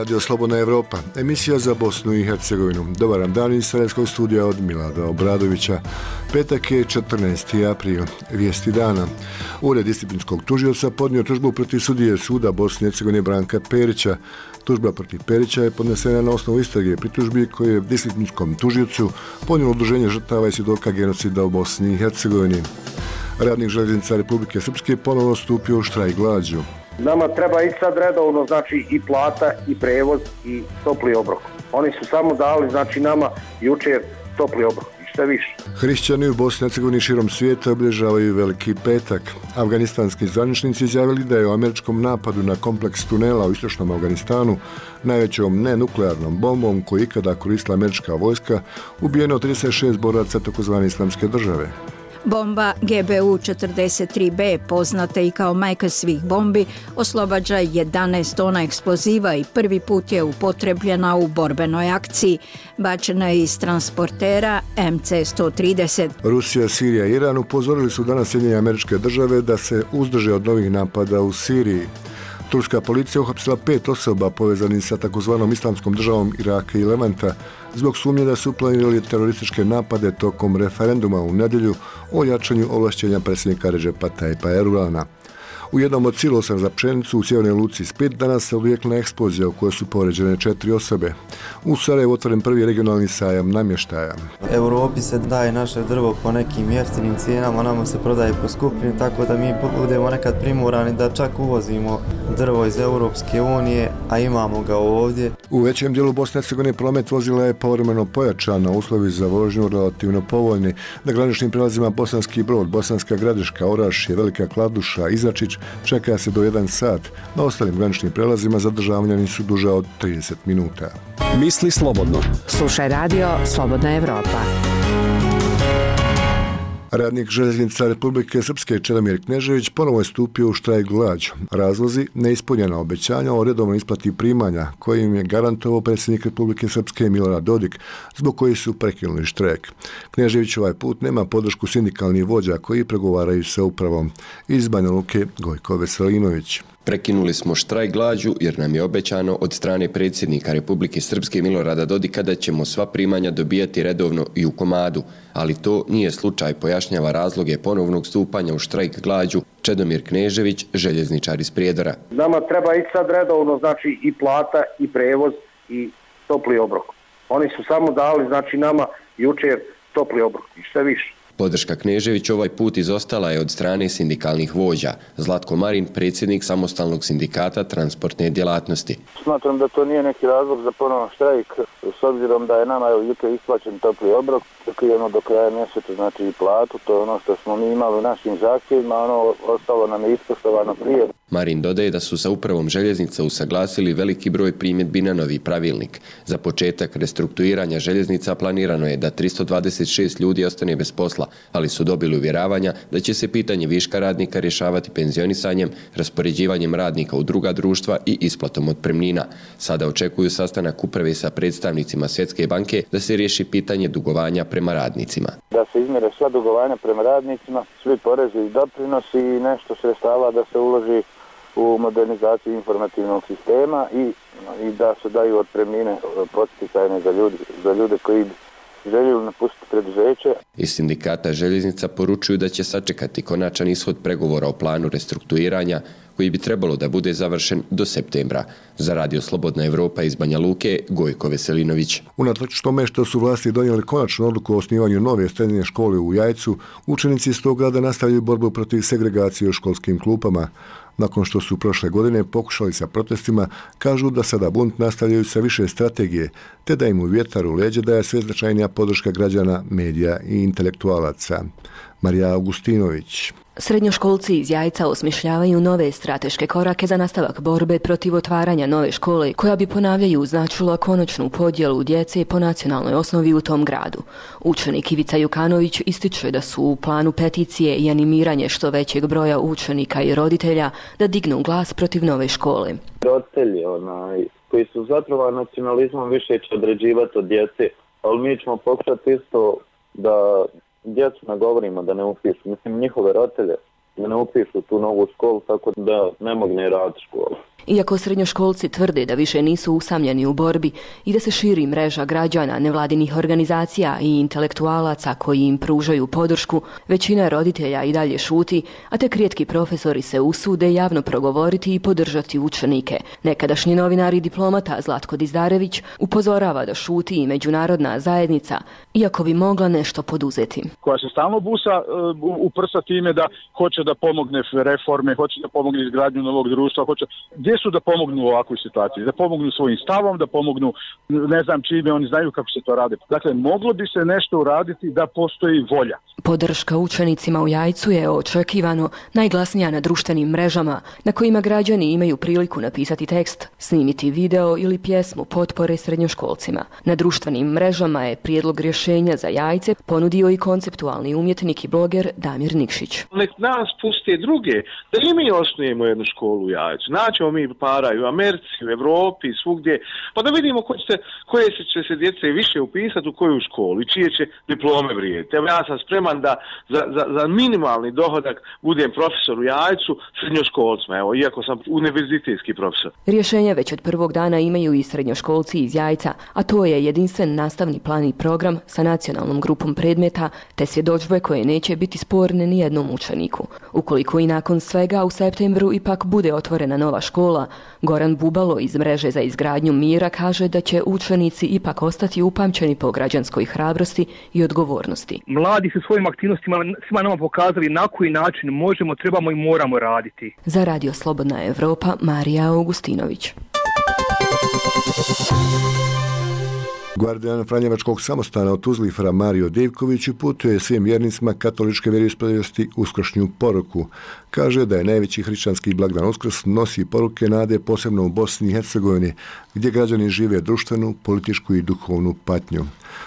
Radio Slobodna Evropa, emisija za Bosnu i Hercegovinu. Dobar dan iz Sarajevskog studija od Milada Obradovića. Petak je 14. april, vijesti dana. Ured disciplinskog tužioca podnio tužbu protiv sudije suda Bosne i Hercegovine Branka Perića. Tužba protiv Perića je podnesena na osnovu istrage pritužbi koje je disciplinskom tužiocu podnijelo udruženje žrtava i svjedoka genocida u Bosni i Hercegovini. Radnik željeznica Republike Srpske ponovno stupio u štrajk glađu. Nama treba i sad redovno, znači i plata, i prevoz, i topli obrok. Oni su samo dali, znači nama jučer topli obrok, i šta više. Hrišćani u Bosni i Hercegovini širom svijeta obilježavaju Veliki petak. Afganistanski zvaničnici izjavili da je u američkom napadu na kompleks tunela u istočnom Afganistanu, najvećom nenuklearnom bombom koju ikada koristila američka vojska, ubijeno 36 boraca tzv. Islamske države. Bomba GBU-43B, poznata i kao majka svih bombi, oslobađa 11 tona eksploziva i prvi put je upotrebljena u borbenoj akciji. Bačena je iz transportera MC-130. Rusija, Sirija i Iran upozorili su danas Sjedinjene Američke Države da se uzdrže od novih napada u Siriji. Turska policija uhapsila 5 osoba povezanih sa takozvanom Islamskom državom Iraka i Levanta zbog sumnje da su planirali terorističke napade tokom referenduma u nedjelju o jačanju ovlašćenja predsjednika Redžepa Tayyipa Erdogana. U jednom od silosa za pšenicu u sjevernoj luci Split danas se odvijekla eksplozija u kojoj su povrijeđene 4 osobe. U Sarajevu otvoren prvi regionalni sajam namještaja. Europi se daje naše drvo po nekim jeftinim cijenama, nama se prodaje po skupim, tako da mi budemo nekad primorani da čak uvozimo drvo iz Europske unije, a imamo ga ovdje. U većem dijelu Bosne i Hercegovine promet vozila je povremeno pojačan, a uslovi za vožnju relativno povoljni. Na graničnim prelazima Bosanski Brod, Bosanska Gradiška, Orašje, Velika Kladuša, Izačić čeka se do 1 sat. Na ostalim graničnim prelazima zadržavanja nisu duža od 30 minuta. Misli slobodno. Slušaj radio Slobodna Evropa. Radnik željeznica Republike Srpske Čedomir Knežević ponovo je stupio u štrajk glađu. Razlozi neispunjena obećanja o redovnoj isplati primanja kojim je garantovao predsjednik Republike Srpske Milorad Dodik, zbog koji su prekinuli štrajk. Knežević ovaj put nema podršku sindikalnih vođa koji pregovaraju sa upravom. Iz Banja Luke Gojko Veselinović. Prekinuli smo štrajk glađu jer nam je obećano od strane predsjednika Republike Srpske Milorada Dodika da ćemo sva primanja dobijati redovno i u komadu, ali to nije slučaj, pojašnjava razloge ponovnog stupanja u štrajk glađu Čedomir Knežević, željezničar iz Prijedora. Nama treba i sad redovno, znači i plata, i prevoz, i topli obrok. Oni su samo dali, znači nama jučer topli obrok, i šta više. Podrška Knežević ovaj put izostala je od strane sindikalnih vođa. Zlatko Marin, predsjednik samostalnog sindikata transportne djelatnosti. Smatram da to nije neki razlog za ponovno štrajk, s obzirom da je nama jučer isplaćen topli obrok, očekujemo do kraja mjeseca, znači i platu, to je ono što smo mi imali u našim zahtjevima, ono ostalo nam je ispoštovano prije. Marin dodaje da su sa upravom željeznica usaglasili veliki broj primjedbi na novi pravilnik. Za početak restrukturiranja željeznica planirano je da 326 ljudi ostane bez posla, ali su dobili uvjeravanja da će se pitanje viška radnika rješavati penzionisanjem, raspoređivanjem radnika u druga društva i isplatom otpremnina. Sada očekuju sastanak uprave sa predstavnicima Svjetske banke da se riješi pitanje dugovanja prema radnicima. Da se izmjere sva dugovanja prema radnicima, svi porezi i doprinosi i nešto sredstava da se uloži u modernizaciju informativnog sistema i da se daju otpremnine podsticajne za ljude koji željeli napustiti preduzeće. Iz sindikata željeznica poručuju da će sačekati konačan ishod pregovora o planu restrukturiranja koji bi trebalo da bude završen do septembra. Za Radio Slobodna Evropa iz Banja Luke, Gojko Veselinović. Unatoč tome što su vlasti donijeli konačnu odluku o osnivanju nove srednje škole u Jajcu, učenici iz tog grada nastavljaju borbu protiv segregacije u školskim klupama. Nakon što su prošle godine pokušali sa protestima, kažu da sada bunt nastavljaju sa više strategije, te da im u vjetar u leđe daje sve značajnija podrška građana, medija i intelektualaca. Marija Augustinović. Srednjoškolci iz Jajca osmišljavaju nove strateške korake za nastavak borbe protiv otvaranja nove škole, koja bi, ponavljaju, značila konačnu podjelu djece po nacionalnoj osnovi u tom gradu. Učenik Ivica Jukanović ističe da su u planu peticije i animiranje što većeg broja učenika i roditelja da dignu glas protiv nove škole. Roditelji koji su zatrovani nacionalizmom više će određivati od djece, ali mi ćemo pokušati isto da djecu nagovorimo da ne upišu, njihove roditelje, da ne upišu tu novu školu, tako da ne mogne raditi školu. Iako srednjoškolci tvrde da više nisu usamljeni u borbi i da se širi mreža građana, nevladinih organizacija i intelektualaca koji im pružaju podršku, većina roditelja i dalje šuti, a tek rijetki profesori se usude javno progovoriti i podržati učenike. Nekadašnji novinar i diplomata Zlatko Dizdarević upozorava da šuti i međunarodna zajednica, iako bi mogla nešto poduzeti. Koja se stalno busa u prsa time da hoće da pomogne reforme, hoće da pomogne izgradnju novog društva, gdje su da pomognu u ovakvoj situaciji? Da pomognu svojim stavom, da pomognu ne znam čime, oni znaju kako se to radi. Dakle, moglo bi se nešto uraditi da postoji volja. Podrška učenicima u Jajcu je očekivano najglasnija na društvenim mrežama, na kojima građani imaju priliku napisati tekst, snimiti video ili pjesmu potpore srednjoškolcima. Na društvenim mrežama je prijedlog rješenja za Jajce ponudio i konceptualni umjetnik i bloger Damir Nikšić. Nek nas puste druge, da i mi osnujemo jednu školu u Jajcu. Naćemo mi para i u Americi, u Evropi, svugdje, pa da vidimo koje će se djece više upisati u koju školu i čije će diplome vrijediti. Evo ja sam spreman da za minimalni dohodak budem profesor u Jajcu srednjoškolcima, evo, iako sam univerzitetski profesor. Rješenje već od prvog dana imaju i srednjoškolci iz Jajca, a to je jedinstven nastavni plan i program sa nacionalnom grupom predmeta te svjedodžbe koje neće biti sporne ni jednom učeniku. Ukoliko i nakon svega u septembru ipak bude otvorena nova škola, Goran Bubalo iz mreže za izgradnju mira kaže da će učenici ipak ostati upamćeni po građanskoj hrabrosti i odgovornosti. Mladi su svojim aktivnostima svima nama pokazali na koji način možemo, trebamo i moramo raditi. Za Radio Slobodna Evropa, Marija Augustinović. Gvardijan Franjevačkog samostana u Tuzli Fra Mario Divković uputuje svim vjernicima katoličke vjeroispovijesti uskršnju poruku. Kaže da je najveći hrišćanski blagdan Uskrs nosi poruke nade posebno u Bosni i Hercegovini, gdje građani žive društvenu, političku i duhovnu patnju.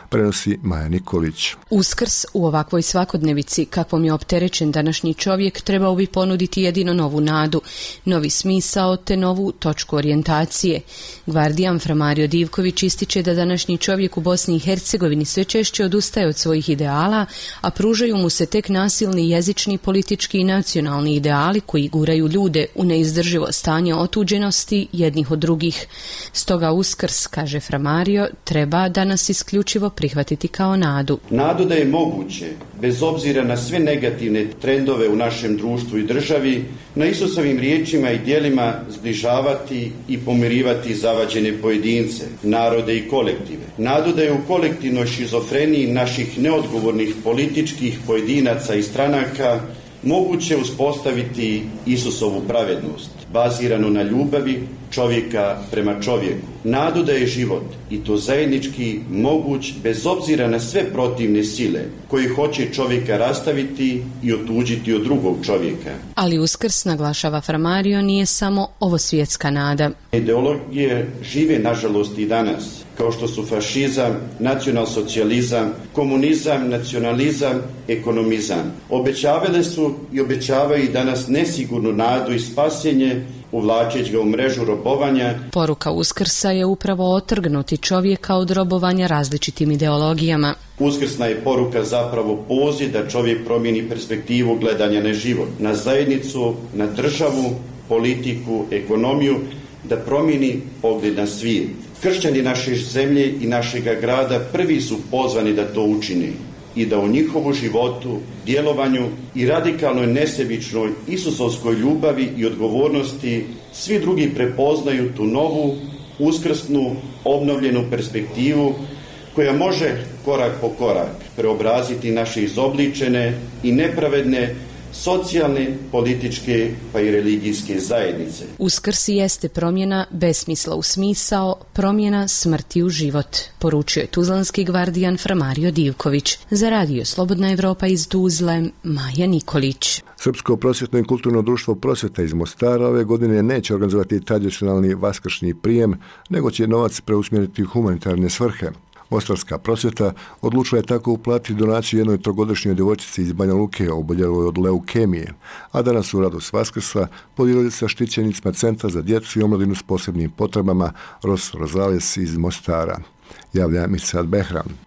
Prenosi Maja Nikolić. Uskrs u ovakvoj svakodnevici kakvom je opterećen današnji čovjek trebao bi ponuditi jedino novu nadu, novi smisao te novu točku orijentacije. Gvardijan Fra Mario Divković ističe da današnji čovjek u Bosni i Hercegovini sve češće odustaje od svojih ideala, a pružaju mu se tek nasilni jezični, politički i nacionalni ideali koji guraju ljude u neizdrživo stanje otuđenosti jednih od drugih. Stoga Uskrs, kaže Fra Mario, treba danas isključivo prihvatiti kao nadu. Nadu da je moguće, bez obzira na sve negativne trendove u našem društvu i državi, na Isusovim riječima i djelima zbližavati i pomirivati zavađene pojedince, narode i kolektive. Nadu da je u kolektivnoj šizofreniji naših neodgovornih političkih pojedinaca i stranaka moguće uspostaviti Isusovu pravednost, baziranu na ljubavi čovjeka prema čovjeku. Nadu da je život, i to zajednički, moguć bez obzira na sve protivne sile koji hoće čovjeka rastaviti i otuđiti od drugog čovjeka. Ali Uskrs, naglašava Fra Mario, nije samo ovo svjetska nada. Ideologije žive nažalost i danas, kao što su fašizam, nacionalsocijalizam, komunizam, nacionalizam, ekonomizam. Obećavale su i obećavaju i danas nesigurnu nadu i spasenje, uvlačeći ga u mrežu robovanja. Poruka Uskrsa je upravo otrgnuti čovjeka od robovanja različitim ideologijama. Uskrsna je poruka zapravo poziv da čovjek promijeni perspektivu gledanja na život, na zajednicu, na državu, politiku, ekonomiju, da promijeni pogled na svijet. Kršćani naše zemlje i našega grada prvi su pozvani da to učine i da u njihovu životu, djelovanju i radikalnoj nesebičnoj isusovskoj ljubavi i odgovornosti svi drugi prepoznaju tu novu, uskrsnu, obnovljenu perspektivu koja može korak po korak preobraziti naše izobličene i nepravedne socijalne, političke pa i religijske zajednice. Uskrs jeste promjena besmisla u smisao, promjena smrti u život, poručio je tuzlanski gvardijan Fra Mario Divković. Za Radio Slobodna Evropa iz Tuzle, Maja Nikolić. Srpsko prosvjetno i kulturno društvo Prosvjeta iz Mostara ove godine neće organizovati tradicionalni vaskršnji prijem, nego će novac preusmjeriti u humanitarne svrhe. Mostarska prosvjeta odlučila je tako uplatiti donaciju jednoj trogodišnjoj djevojčici iz Banja Luke oboljeloj od leukemije, a danas u radost Vaskrsa podijelili sa štićenicima Centra za djecu i omladinu s posebnim potrebama Ros Rozales iz Mostara. Javlja Mirsad Behram.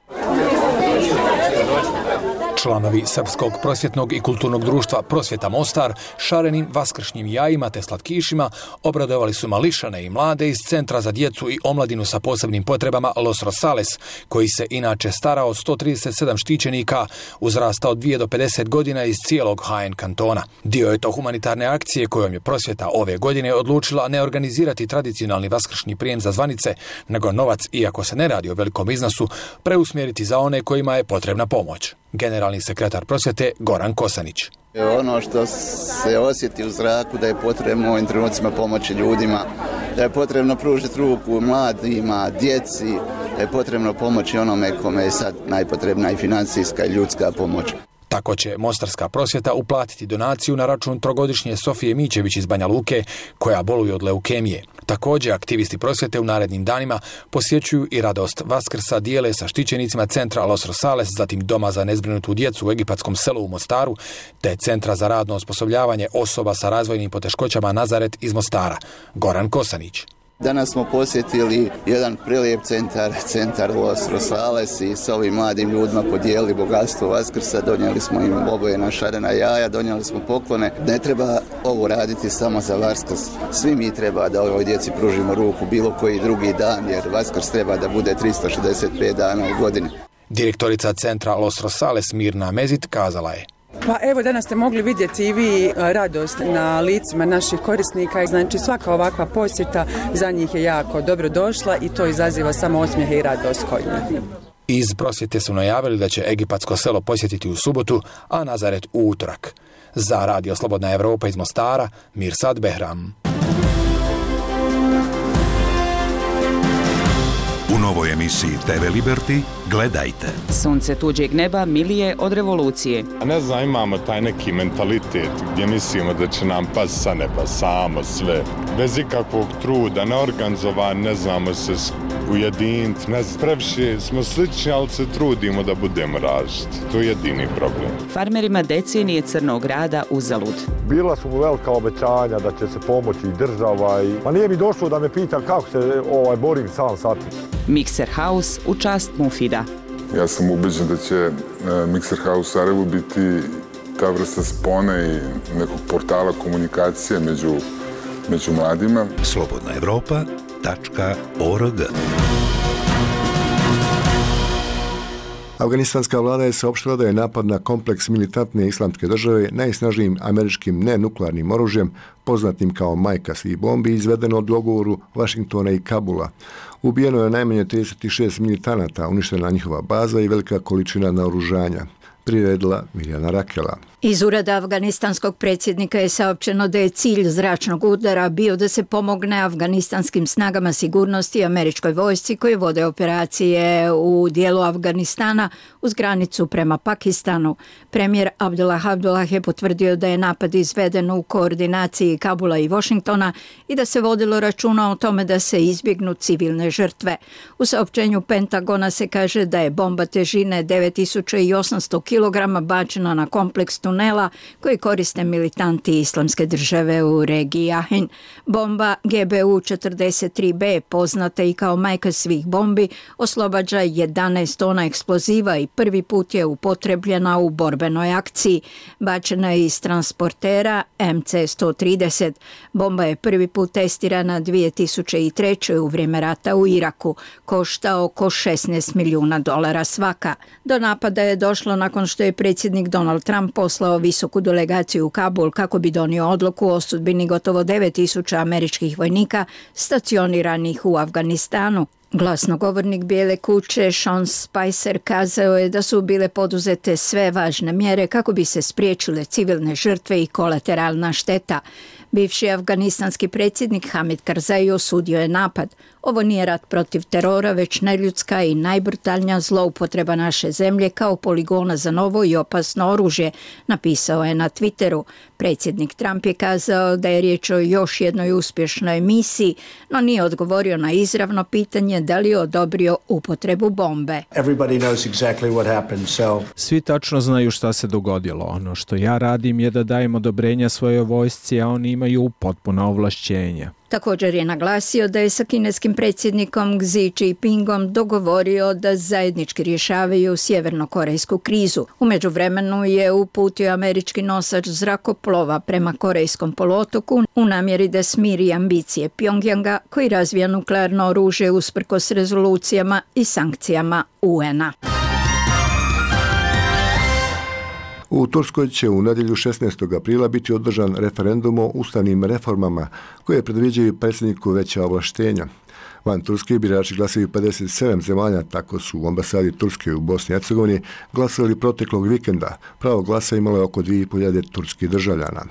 Članovi Srpskog prosvjetnog i kulturnog društva Prosvjeta Mostar šarenim vaskršnjim jajima te slatkišima obradovali su mališane i mlade iz Centra za djecu i omladinu sa posebnim potrebama Los Rosales, koji se inače stara od 137 štićenika uzrasta od 2 do 50 godina iz cijelog HN kantona. Dio je to humanitarne akcije kojom je Prosvjeta ove godine odlučila ne organizirati tradicionalni vaskršnji prijem za zvanice, nego novac, iako se ne radi o velikom iznosu, preusmjeriti za one kojima je potrebna pomoć. Generalni sekretar Prosvjete Goran Kosanić. Ono što se osjeti u zraku da je potrebno u ovim trenucima pomoći ljudima, da je potrebno pružiti ruku mladima, djeci, da je potrebno pomoći onome kome je sad najpotrebna i financijska i ljudska pomoć. Tako će Mostarska prosvjeta uplatiti donaciju na račun trogodišnje Sofije Mićević iz Banja Luke, koja boluje od leukemije. Također, aktivisti prosvjete u narednim danima posjećuju i radost Vaskrsa dijele sa štićenicima Centra Los Rosales, zatim Doma za nezbrinutu djecu u egipatskom selu u Mostaru, te Centra za radno osposobljavanje osoba sa razvojnim poteškoćama Nazaret iz Mostara. Goran Kosanić. Danas smo posjetili jedan prelijep centar Los Rosales i s ovim mladim ljudima podijelili bogatstvo Vaskrsa, donijeli smo im obojena šarena jaja, donijeli smo poklone. Ne treba ovo raditi samo za Vaskrs. Svi mi treba da ovoj djeci pružimo ruku bilo koji drugi dan, jer Vaskrs treba da bude 365 dana u godini. Direktorica Centra Los Rosales Mirna Mezit kazala je: Pa evo, danas ste mogli vidjeti i vi radost na licima naših korisnika. Znači svaka ovakva posjeta za njih je jako dobro došla i to izaziva samo osmijehe i radost kod njih. Iz prosvjete su najavili da će egipatsko selo posjetiti u subotu, a Nazaret u utorak. Za Radio Slobodna Evropa iz Mostara, Mirsad Behram. U novoj emisiji TV Liberty gledajte. Sunce tuđeg neba milije od revolucije. Ne znam, imamo taj neki mentalitet gdje mislimo da će nam pasti sa neba samo sve. Bez ikakvog truda, neorganizovan, ne znamo se ujediniti. Previše smo slični, ali se trudimo da budemo različiti. To je jedini problem. Farmerima decenije crnog rada uzalud. Bila su mu velika obećanja da će se pomoći i država. Ma nije mi došlo da me pita kako se borim sam sa tim. Mixer House u čast Mufida. Ja sam ubeđen da će Mixer House u Sarajevu biti ta vrsta spona i nekog portala komunikacije među mladima. Slobodnaevropa.org. Afganistanska vlada je saopštila da je napad na kompleks militantne islamske države najsnažnijim američkim nenuklearnim oružjem, poznatim kao majka svih bombi, izvedeno od dogovoru Vašingtona i Kabula. Ubijeno je najmanje 36 militanata, uništena njihova baza i velika količina naoružanja. Priredila Mirjana Rakela. Iz ureda afganistanskog predsjednika je saopćeno da je cilj zračnog udara bio da se pomogne afganistanskim snagama sigurnosti i američkoj vojsci koji vode operacije u dijelu Afganistana uz granicu prema Pakistanu. Premijer Abdullah je potvrdio da je napad izveden u koordinaciji Kabula i Washingtona i da se vodilo računa o tome da se izbjegnu civilne žrtve. U saopćenju Pentagona se kaže da je bomba težine 9800 kg bačena na kompleks tunela koji koriste militanti Islamske države u regiji Jahin. Bomba GBU 43B, poznata i kao majka svih bombi, oslobađa 11 tona eksploziva i prvi put je upotrebljena u borbenoj akciji. Bačena je iz transportera MC-130. Bomba je prvi put testirana 2003. u vrijeme rata u Iraku. Košta oko $16 milijuna svaka. Do napada je došlo nakon što je predsjednik Donald Trump poslao visoku delegaciju u Kabul kako bi donio odluku o sudbini gotovo 9000 američkih vojnika stacioniranih u Afganistanu. Glasnogovornik Bijele kuće Sean Spicer kazao je da su bile poduzete sve važne mjere kako bi se spriječile civilne žrtve i kolateralna šteta. Bivši afganistanski predsjednik Hamid Karzai osudio je napad. Ovo nije rat protiv terora, već neljudska i najbrutalnija zloupotreba naše zemlje kao poligona za novo i opasno oružje, napisao je na Twitteru. Predsjednik Trump je kazao da je riječ o još jednoj uspješnoj misiji, no nije odgovorio na izravno pitanje da li je odobrio upotrebu bombe. Svi tačno znaju šta se dogodilo. Ono što ja radim je da dajem odobrenja svojoj vojsci, a oni imaju potpuna ovlašćenja. Također je naglasio da je sa kineskim predsjednikom Xi Jinpingom dogovorio da zajednički rješavaju sjevernokorejsku krizu. U međuvremenu je uputio američki nosač zrakoplova prema Korejskom poluotoku u namjeri da smiri ambicije Pjongjanga koji razvija nuklearno oružje usprkos rezolucijama i sankcijama UN-a. U Turskoj će u nedjelju 16. aprila biti održan referendum o ustavnim reformama koje predviđaju predsjedniku veća ovlaštenja. Van Turske birači glasaju 57 zemalja, tako su u ambasadi Turske u Bosni i Hercegovini glasali proteklog vikenda. Pravo glasa imalo je oko 2.500 turskih državljana.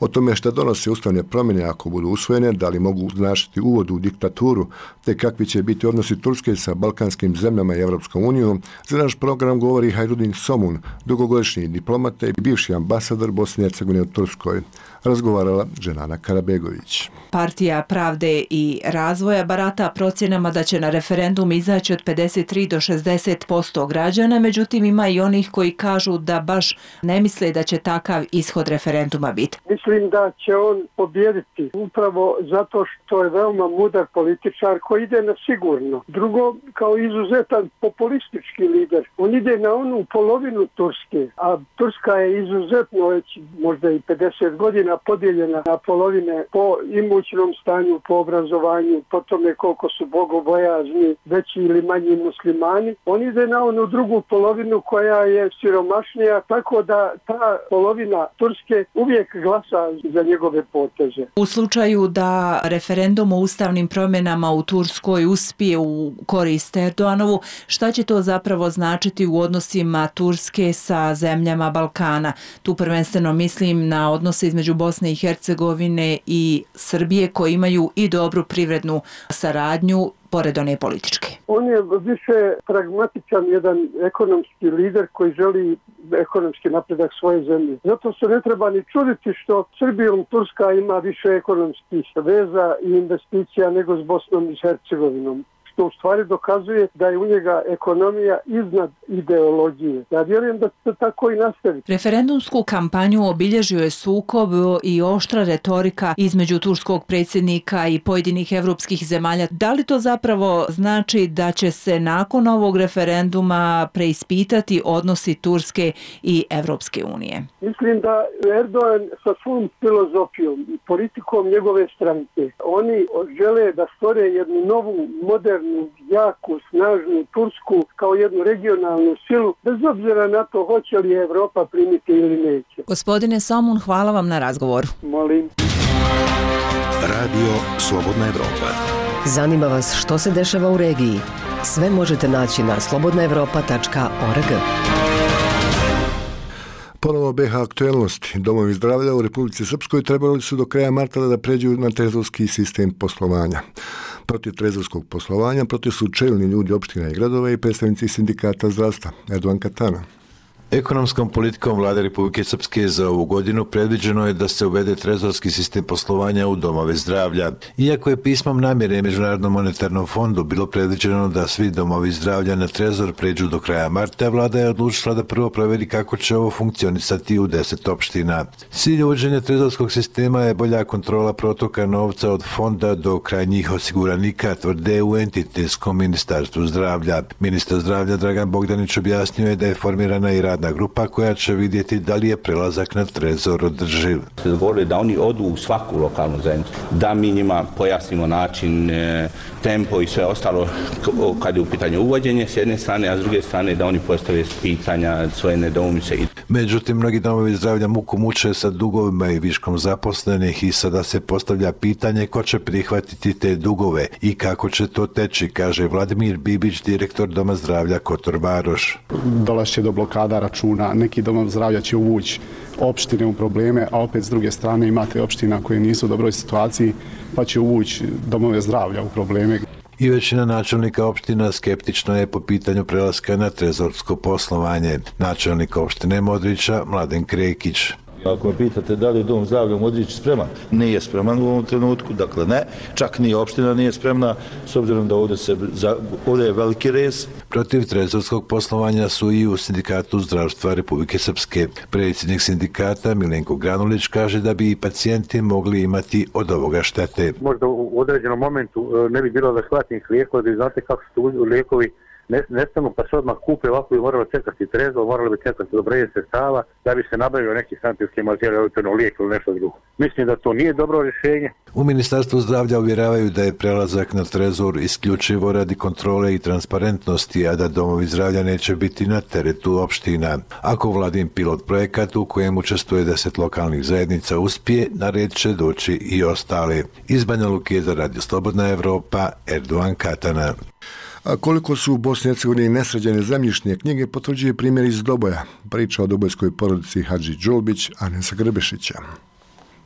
O tome šta donose ustavne promjene ako budu usvojene, da li mogu značiti uvod u diktaturu, te kakvi će biti odnosi Turske sa balkanskim zemljama i Evropskom unijom, za naš program govori Hajrudin Somun, dugogodišnji diplomata i bivši ambasador Bosne i Hercegovine u Turskoj. Razgovarala Dženana Karabegović. Partija Pravde i razvoja barata procjenama da će na referendum izaći od 53 do 60% građana, međutim ima i onih koji kažu da baš ne misle da će takav ishod referenduma biti. Mislim da će on pobijediti upravo zato što je veoma mudar političar koji ide na sigurno. Drugo, kao izuzetan populistički lider. On ide na onu polovinu Turske, a Turska je izuzetno već možda i 50 godina podijeljena na polovine po imućnom stanju, po obrazovanju, po tome koliko su bogobojazni, veći ili manji muslimani. On ide na onu drugu polovinu koja je siromašnija, tako da ta polovina Turske uvijek glasa za njegove poteze. U slučaju da referendum o ustavnim promjenama u Turskoj uspije u korist Erdoganovu, šta će to zapravo značiti u odnosima Turske sa zemljama Balkana? Tu prvenstveno mislim na odnose između Bosne i Hercegovine i Srbije koji imaju i dobru privrednu saradnju pored one političke. On je više pragmatičan, jedan ekonomski lider koji želi ekonomski napredak svoje zemlje. Zato se ne treba ni čuditi što Srbijom Turska ima više ekonomskih veza i investicija nego s Bosnom i Hercegovinom, što u stvari dokazuje da je u njega ekonomija iznad ideologije. Ja vjerujem da se tako i nastavi. Referendumsku kampanju obilježio je sukob i oštra retorika između turskog predsjednika i pojedinih evropskih zemalja. Da li to zapravo znači da će se nakon ovog referenduma preispitati odnosi Turske i Evropske unije? Mislim da Erdogan sa svom filozofijom i politikom njegove stranke, oni žele da stvore jednu novu, modernu, jaku, snažnu Tursku kao jednu regionalnu silu, bez obzira na to hoće li Evropa primiti ili neće. Gospodine Somun, hvala vam na razgovoru. Molim. Radio Slobodna Evropa. Zanima vas što se dešava u regiji? Sve možete naći na slobodnaevropa.org. Ponovo BiH aktuelnosti. Domovi zdravlja u Republici Srpskoj trebali su do kraja marta da pređu na trezorski sistem poslovanja. Protiv trezorskog poslovanja protiv su čelni ljudi opština i gradova i predstavnici sindikata zdravstva. Erdogan Katana. Ekonomskom politikom Vlade Republike Srpske za ovu godinu predviđeno je da se uvede trezorski sistem poslovanja u domove zdravlja. Iako je pismom namjere Međunarodnom monetarnom fondu bilo predviđeno da svi domovi zdravlja na trezor pređu do kraja marta, Vlada je odlučila da prvo provjeri kako će ovo funkcionisati u 10 opština. Cilj uvođenja trezorskog sistema je bolja kontrola protoka novca od fonda do krajnjih osiguranika, tvrde u entitetskom ministarstvu zdravlja. Ministar zdravlja Dragan Bogdanić objasnio je da je formirana i radna grupa koja će vidjeti da li je prelazak na trezor održiv. Dogovorili da oni odu u svaku lokalnu zajednicu, da mi njima pojasnimo način, tempo i sve ostalo kad je u pitanju uvođenje s jedne strane, a s druge strane da oni postave pitanja, svoje nedoumice. Međutim, mnogi domovi zdravlja muku muče sa dugovima i viškom zaposlenih i sada se postavlja pitanje ko će prihvatiti te dugove i kako će to teći, kaže Vladimir Bibić, direktor Doma zdravlja Kotor Varoš. Dolazi do blokada računa, neki dom zdravlja će uvući opštine u probleme, a opet s druge strane imate opština koje nisu u dobroj situaciji pa će uvući domove zdravlja u probleme. I većina načelnika opština skeptična je po pitanju prelaska na trezorsko poslovanje. Načelnik opštine Modrića Mladen Krekić. Ako me pitate da li je dom zdravlja u Modrići spreman, nije spreman u ovom trenutku, dakle ne, čak ni opština nije spremna, s obzirom da ovdje je veliki rez. Protiv trezorskog poslovanja su i u Sindikatu zdravstva Republike Srpske. Predsjednik sindikata Milenko Granulić kaže da bi i pacijenti mogli imati od ovoga štete. Možda u određenom momentu ne bi bilo adekvatnih lijekova, da znate kako su lijekovi nestanu pa se odmah kupe, ovako bi moralo čekati trezor, moralo bi čekati odobrenje sredstava da bi se nabavio neki sanitetski materijal, lijek ili nešto drugo. Mislim da to nije dobro rješenje. U Ministarstvu zdravlja uvjeravaju da je prelazak na trezor isključivo radi kontrole i transparentnosti, a da domovi zdravlja neće biti na teretu opština. Ako vladin pilot projekat u kojem učestvuje 10 lokalnih zajednica uspije, na red će doći i ostale. Iz Banja Luke za Radio Slobodna Evropa, Erdogan Katana. A koliko su u Bosni i Hercegovini nesređene zemljišne knjige potvrđuje primjer iz Doboja. Priča o dobojskoj porodici Hadži Đulbić, Anesa Grbešića.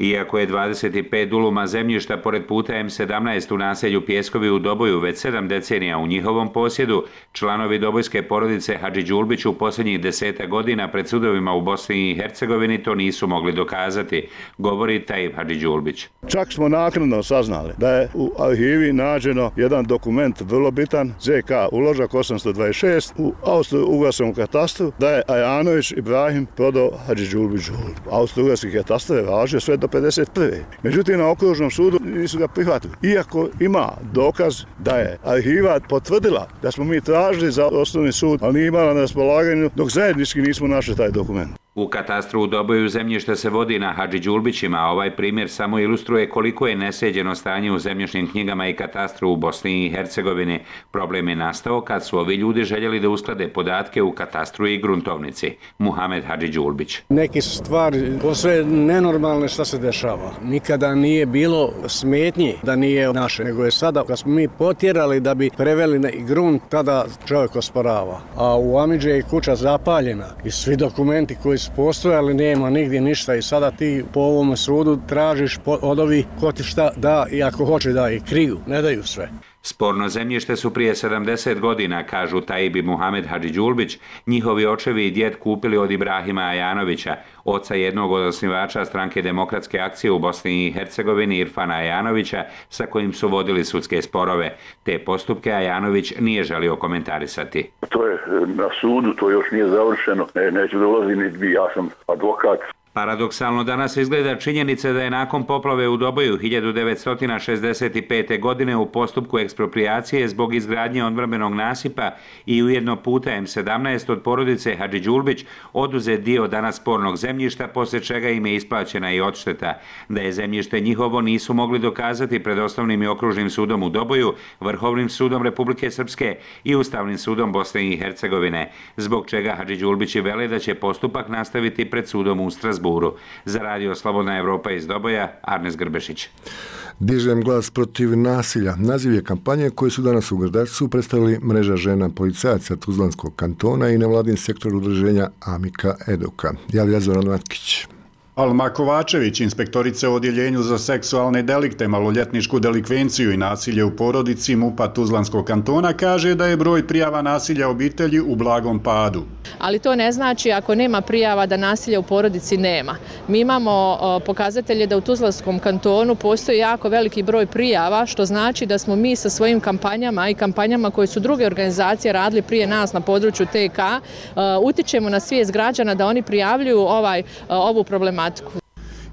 Iako je 25 duluma zemljišta pored puta M17 u naselju Pjeskovi u Doboju već 7 decenija u njihovom posjedu, članovi dobojske porodice Hadži Đulbić u posljednjih 10 godina pred sudovima u Bosni i Hercegovini to nisu mogli dokazati, govori Tajib Hadži Đulbić. Čak smo naknadno saznali da je u arhivi nađeno jedan dokument vrlo bitan, ZK uložak 826 u austro-ugarskom katastru, da je Ajanović Ibrahim prodao Hadži Đulbiću. Austro-ugarski katastar je važio sve do 51. Međutim, na okružnom sudu nisu ga prihvatili. Iako ima dokaz da je arhiva potvrdila da smo mi tražili za osnovni sud, ali nije imala na raspolaganju dok zajednički nismo našli taj dokument. U katastru u Doboju zemljište se vodi na Hadži Đulbićima, a ovaj primjer samo ilustruje koliko je nesređeno stanje u zemljišnim knjigama i katastru u Bosni i Hercegovini. Problem je nastao kad su ovi ljudi željeli da usklade podatke u katastru i gruntovnici. Muhamed Hadži Đulbić. Neki stvari posve nenormalne šta se dešava. Nikada nije bilo smetnji da nije naše, nego je sada kad smo mi potjerali da bi preveli na grunt, tada čovjek osporava. A u Amidže je kuća zapaljena i svi dokumenti koji su postojali, nema nigdje ništa i sada ti po ovom sudu tražiš od ovih ko ti šta da i ako hoće da i kriju, ne daju sve. Sporno zemljište su prije 70 godina, kažu Tajib i Muhamed Hadži Đulbić, njihovi očevi i djed kupili od Ibrahima Ajanovića, oca jednog od osnivača stranke Demokratske akcije u Bosni i Hercegovini Irfana Ajanovića, sa kojim su vodili sudske sporove. Te postupke Ajanović nije želio komentarisati. To je na sudu, to još nije završeno, neću da ulazim, ja sam advokat. Paradoksalno danas izgleda činjenica da je nakon poplave u Doboju 1965. godine u postupku eksproprijacije zbog izgradnje odbrambenog nasipa i ujedno puta M17 od porodice Hadži Đulbić oduzet dio danas spornog zemljišta, poslije čega im je isplaćena i odšteta. Da je zemljište njihovo nisu mogli dokazati pred Osnovnim i okružnim sudom u Doboju, Vrhovnim sudom Republike Srpske i Ustavnim sudom Bosne i Hercegovine, zbog čega Hadži Đulbići vele da će postupak nastaviti pred sudom u Strasburu. Za Radio Slobodna Evropa iz Doboja, Arnes Grbešić. Dižem glas protiv nasilja. Naziv je kampanje koje su danas u Grdačcu predstavili mreža žena policajaca Tuzlanskog kantona i nevladin sektor udruženja Amika Eduka. Javlja Zoran Matkić. Alma Kovačević, inspektorica u odjeljenju za seksualne delikte, maloljetničku delikvenciju i nasilje u porodici MUP-a Tuzlanskog kantona, kaže da je broj prijava nasilja obitelji u blagom padu. Ali to ne znači ako nema prijava da nasilja u porodici nema. Mi imamo pokazatelje da u Tuzlanskom kantonu postoji jako veliki broj prijava, što znači da smo mi sa svojim kampanjama i kampanjama koje su druge organizacije radili prije nas na području TK, utičemo na svijest građana da oni prijavljuju ovu problematiku.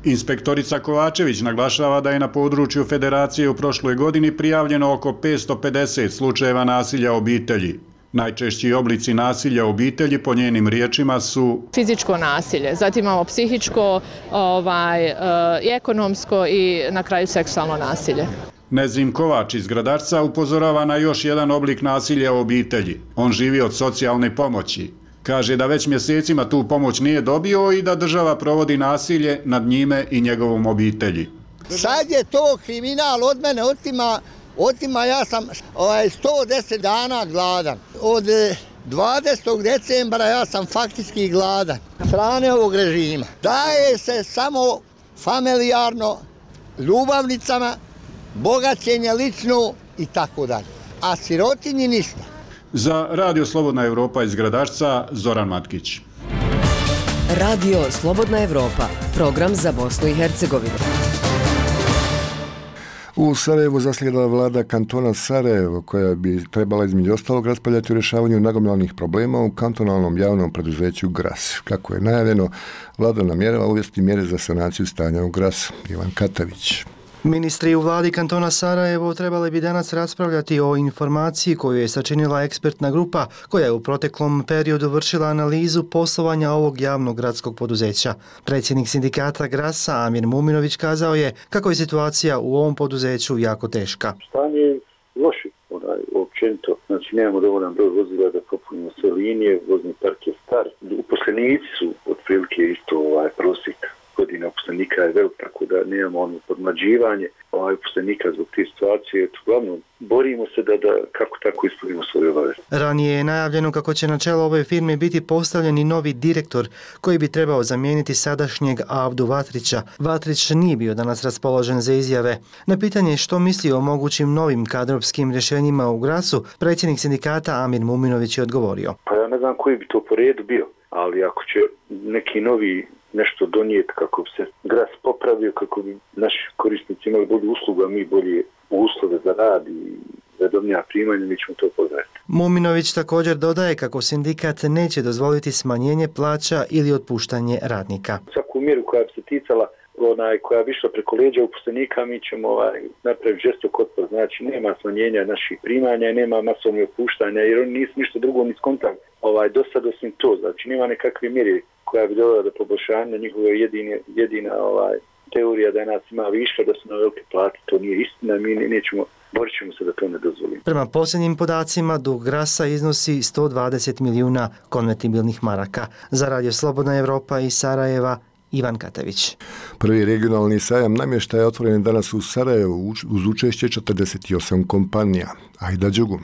Inspektorica Kovačević naglašava da je na području Federacije u prošloj godini prijavljeno oko 550 slučajeva nasilja obitelji. Najčešći oblici nasilja u obitelji po njenim riječima su fizičko nasilje, zatim imamo psihičko, ekonomsko i na kraju seksualno nasilje. Nezim Kovač iz Gradačca upozorava na još jedan oblik nasilja u obitelji. On živi od socijalne pomoći. Kaže da već mjesecima tu pomoć nije dobio i da država provodi nasilje nad njime i njegovom obitelji. Sad je to kriminal od mene, otima ja sam 110 dana gladan. Od 20. decembra ja sam faktički gladan. Strane ovog režima. Daje se samo familijarno, ljubavnicama, bogaćenje lično i tako dalje. A sirotinji ništa. Za Radio Slobodna Evropa iz Gradačca, Zoran Matkić. Radio Slobodna Evropa, program za Bosnu i Hercegovinu. U Sarajevu zaslijedila vlada kantona Sarajevo, koja bi trebala između ostalog raspravljati o rješavanju nagomilanih problema u kantonalnom javnom preduzeću GRAS. Kako je najavljeno, vlada namjerava uvesti mjere za sanaciju stanja u GRAS. Ivan Katavić. Ministri u vladi kantona Sarajevo trebali bi danas raspravljati o informaciji koju je sačinila ekspertna grupa koja je u proteklom periodu vršila analizu poslovanja ovog javnog gradskog poduzeća. Predsjednik sindikata GRAS-a Amir Muminović kazao je kako je situacija u ovom poduzeću jako teška. Stanje je loše, općenito. Znači nemamo dovoljan broj vozila da popunimo sve linije, vozni park je star. Uposlenici su otprilike isto prosjek godina uposlenika je velik, tako da nemamo podmlađivanje uposlenika zbog te situacije. Uglavnom, borimo se da kako tako ispunimo svoje obaveze. Ranije je najavljeno kako će na čelo ove firme biti postavljen i novi direktor koji bi trebao zamijeniti sadašnjeg Abdu Vatrića. Vatrić nije bio danas raspoložen za izjave. Na pitanje što misli o mogućim novim kadrovskim rješenjima u GRAS-u, predsjednik sindikata Amir Muminović je odgovorio. Pa ja ne znam koji bi to po redu bio, ali ako će neki novi nešto donijeti kako bi se GRAS popravio, kako bi naši korisnici imali bolju uslugu, a mi bolje uslove za rad i redovnija primanja, mi ćemo to pozdraviti. Muminović također dodaje kako sindikat neće dozvoliti smanjenje plaća ili otpuštanje radnika. Svaku mjeru koja bi se ticala koja bi išla preko leđa uposlenika, mi ćemo napraviti žestok otpor. Znači nema smanjenja naših primanja, nema masovnih otpuštanja, jer oni nisu ništa drugo ni skontali do sad osim to. Znači nema nekakve mjere koja bi dovela do poboljšanja. Njihova jedina teorija da nas ima viška, da su na velike plate. To nije istina, mi nećemo, borit ćemo se da to ne dozvolimo. Prema posljednjim podacima, dug GRAS-a iznosi 120 milijuna konvertibilnih maraka. Za Radio Slobodna Evropa iz Sarajeva, Ivan Katavić. Prvi regionalni sajam namještaja je otvoren danas u Sarajevu uz učešće 48 kompanija. Ajda Đugum.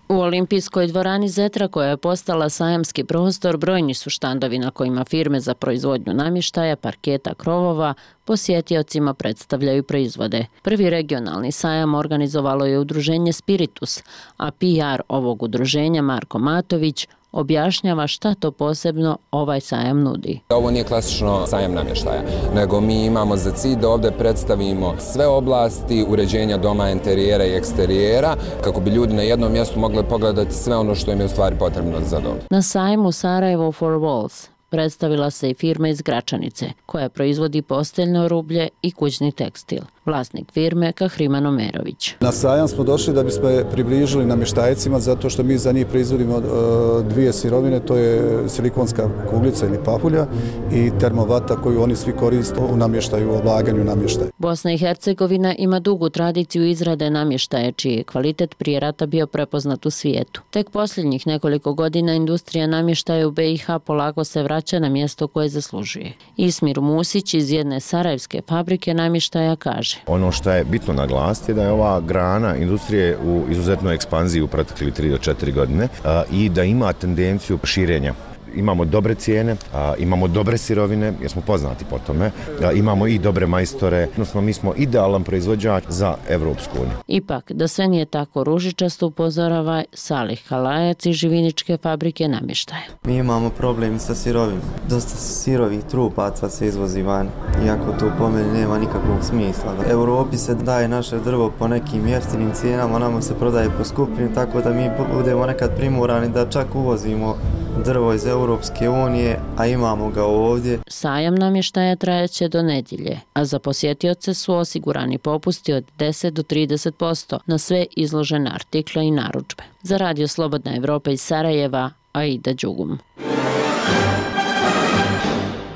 U olimpijskoj dvorani Zetra, koja je postala sajamski prostor, brojni su štandovi na kojima firme za proizvodnju namještaja, parketa, krovova posjetiocima predstavljaju proizvode. Prvi regionalni sajam organizovalo je udruženje Spiritus, a PR ovog udruženja Marko Matović objašnjava šta to posebno ovaj sajam nudi. Ovo nije klasično sajam namještaja, nego mi imamo za cilj da ovdje predstavimo sve oblasti uređenja doma, interijera i eksterijera, kako bi ljudi na jednom mjestu mogli pogledati sve ono što im je u stvari potrebno za dom. Na sajmu Sarajevo for Walls predstavila se i firma iz Gračanice, koja proizvodi posteljno rublje i kućni tekstil. Vlasnik firme Kahriman Omerović. Na sajam smo došli da bismo približili namještajcima, zato što mi za njih proizvodimo dvije sirovine, to je silikonska kuglica ili papulja i termovata koju oni svi koriste u namještaju, u oblaganju namještaja. Bosna i Hercegovina ima dugu tradiciju izrade namještaja, čiji je kvalitet prije rata bio prepoznat u svijetu. Tek posljednjih nekoliko godina industrija namještaja u BiH polako se vraća na mjesto koje zaslužuje. Ismir Musić iz jedne sarajevske fabrike namještaja kaže: ono što je bitno naglasiti je da je ova grana industrije u izuzetnoj ekspanziji u proteklih 3 do 4 godine i da ima tendenciju širenja. Imamo dobre cijene, imamo dobre sirovine, jer smo poznati po tome, imamo i dobre majstore, odnosno mi smo idealan proizvođač za Evropsku uniju. Ipak, da sve nije tako ružičasto, upozorava Salih Halajac iz živiničke fabrike namještaja. Mi imamo problem sa sirovinom. Dosta sirovih trupaca se izvozi van, iako to po meni nema nikakvog smisla. U Europi se daje naše drvo po nekim jeftinim cijenama, nama se prodaje po skupim, tako da mi budemo nekad primorani da čak uvozimo drvo iz Europske unije, a imamo ga ovdje. Sajam namještaja trajaće do nedjelje, a za posjetioce su osigurani popusti od 10 do 30% na sve izložene artikle i narudžbe. Za Radio Slobodna Evropa iz Sarajeva, Aida Đugum.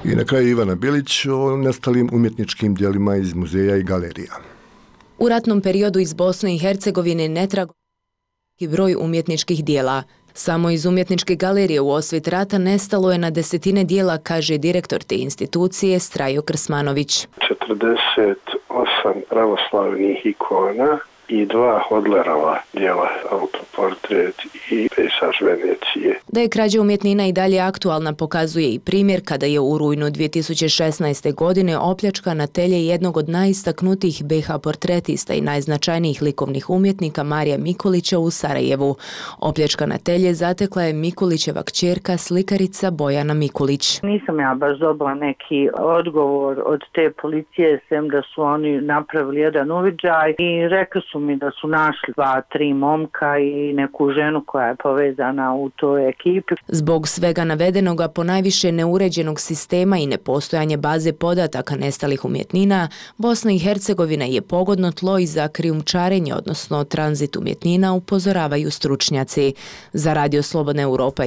I na kraju Ivana Bilić o nestalim umjetničkim dijelima iz muzeja i galerija. U ratnom periodu iz Bosne i Hercegovine netrago i broj umjetničkih dijela. Samo iz umjetničke galerije u osvit rata nestalo je na desetine dijela, kaže direktor te institucije Strajo Krsmanović. 48 pravoslavnih ikona i 2 Hodlerova djela, autoportret i pejsaž Venecije. Da je krađa umjetnina i dalje aktualna pokazuje i primjer kada je u rujnu 2016. godine opljačkana telje jednog od najistaknutijih BiH portretista i najznačajnijih likovnih umjetnika Marija Mikulića u Sarajevu. Opljačkana telje zatekla je Mikulićeva kćerka slikarica Bojana Mikulić. Nisam ja baš dobila neki odgovor od te policije, sem da su oni napravili jedan uviđaj i rekli su mi da su našli 2-3 momka i neku ženu koja je povezana u toj ekipi. Zbog svega navedenoga, ponajviše neuređenog sistema i nepostojanje baze podataka nestalih umjetnina, Bosna i Hercegovina je pogodno tlo i za krijumčarenje, odnosno tranzit umjetnina, upozoravaju stručnjaci. Za Radio Slobodna Europa